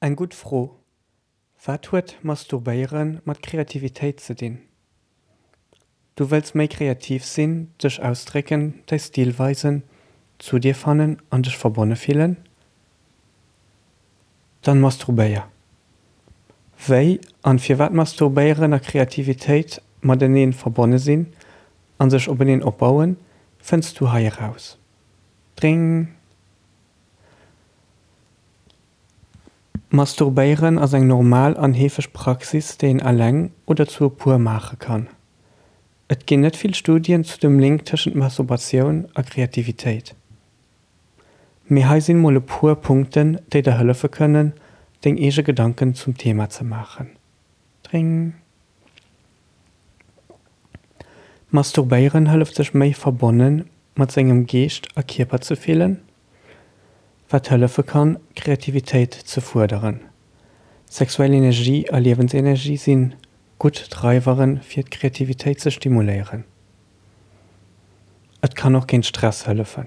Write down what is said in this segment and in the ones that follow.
Eng gutt Fro, Wat huet Masturbéiere mat Kreativitéit ze dinn? Du wëlls méi kreativ sinn, dech ausdrécken, däi Stil weisen, zu dir fannen an dech verbonne fillen? Dann masturbéier! Wéi an firwat Masturbéieren a Kreativitéit mateneen verbonne sinn an sech openeen opbauen, fënns du hei eraus. Dring! Masturbéieren ass eng normal an heefeg Praxis, déi een eleng oder zu e puer maache kann. Et ginn net vill Studien zu dem Link tëschent Masturbatioun a Kreativitéit. Mee hei sinn mol e puer Punkten, déi der hëllefe kënnen, deng eege Gedanken zum Thema ze maachen. Dring. Masturbéieren hëlleft sech méi verbonne mat sengem Geescht a Kierper ze fillen, wat hëllefe kann, Kreativitéit ze fuerderen. Sexuell Energie a Liewensenergie si gutt Dreiwere fir d'Kreativitéit ze stimuléieren. Et kann och géint Stress hëllefen.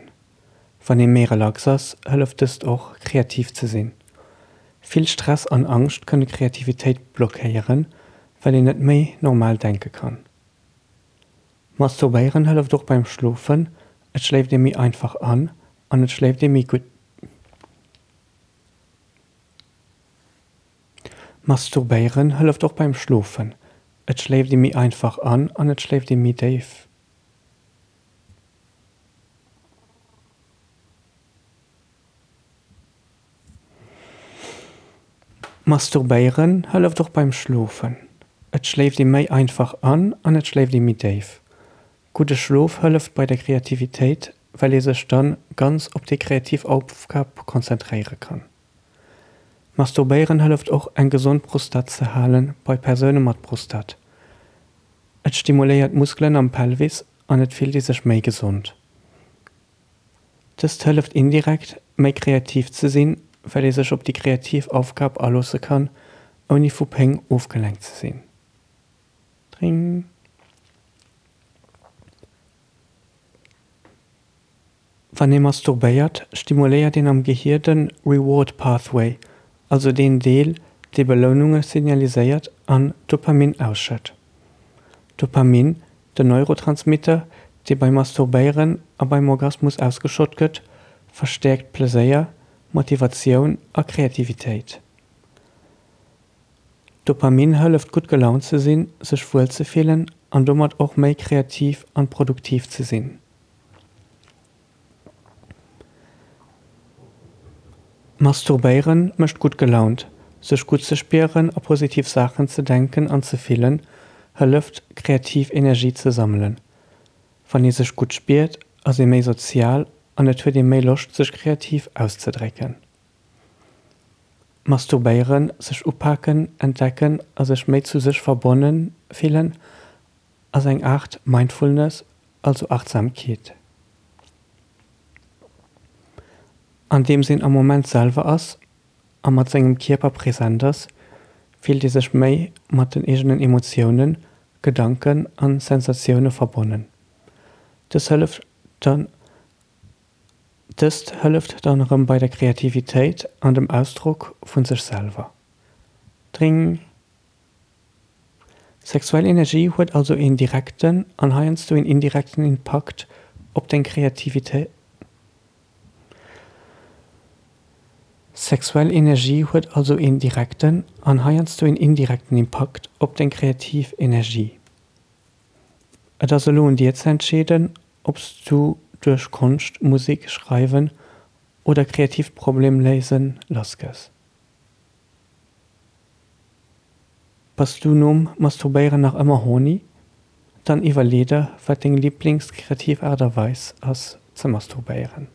Wann ee méi relax ass, hëlleft dëst och, kreativ ze sinn. Vill Stress an Angscht kënne Kreativitéit blockéieren, well een net méi normal denke kann. Masturbéieren hëlleft och beim Schlofen, et schléift ee méi einfach an an et schléift ee méi gutt. Masturbéieren hëlleft och beim Schlofen, et schléift ee méi einfach an an et schléift ee méi déif. Masturbéieren hëlleft och beim Schlofen. Et schléift ee méi einfach an an et schléift ee méi déif. Gudde Schlof hëlleft bei der Kreativitéit, well ee sech dann ganz op déi kreativ Aufgab konzentréiere kann. Masturbéieren hëlleft och eng gesond Prostat ze halen bei Persoune mat Prostat. Et stimuléiert d'Muskelen am Pelvis an et fillt ee sech méi gesond. Dëst hëlleft indirekt, méi kreativ ze sinn, well ee sech op déi kreativ Aufgab aloosse kann, ouni vu Péng ofgelenkt ze sinn. Dring. Wann ee masturbéiert, stimuléiert een am Gehier de Reward Pathway, also deen Deel, dee Beloununge signaliséiert an Dopamin ausschëtt. Dopamin, den Neurotransmitter, dee beim Masturbéieren a beim Orgasmus ausgeschott gëtt, verstäerkt Pleséier, Motivatioun a Kreativitéit. Dopamin hëlleft gutt gelaunt ze sinn, sech wuel ze fillen an domat och méi kreativ an produktiv ze sinn. Masturbéieren mécht gutt gelaunt. Sech gutt ze spieren a positiv Saachen ze denken an ze fillen, hëlleft, kreativ Energie ze sammelen. Wann ee sech gutt spiert, ass ee méi sozial an et huet ee méi Loscht sech kreativ auszedrécken. Masturbéieren, sech upaken, entdecken a sech méi zu sech verbonne fillen ass eng Aart Mindfulness, also Achtsamkeet. Andeems een am Moment selwer ass a mat sengem Kierper present ass, fillt ee sech méi mat den eegenen Emotiounen, Gedanken an Sensatioune verbonnen. Dës hëlleft dann Dëst hëlleft dann erëm bei der Kreativitéit an dem Ausdrock vun sech selwer. Dring. Sexuell Energie huet also een direkten an heiansdo een indirekten Impakt op deng Kreativitéit. Sexuell Energie huet also een direkten an heiansdo een indirekten Impakt op deng kreativ Energie. Et ass elo un dir ze entscheeden, ob s du duerch Konscht, Musek, Schreiwen oder kreatiivt Problemléisen lassgëss. Bass du nom Masturbéieren nach ëmmer horny? Dann iwwerlee der, wat deng Liblings-kreativ Aart a Weis ass ze masturbéieren.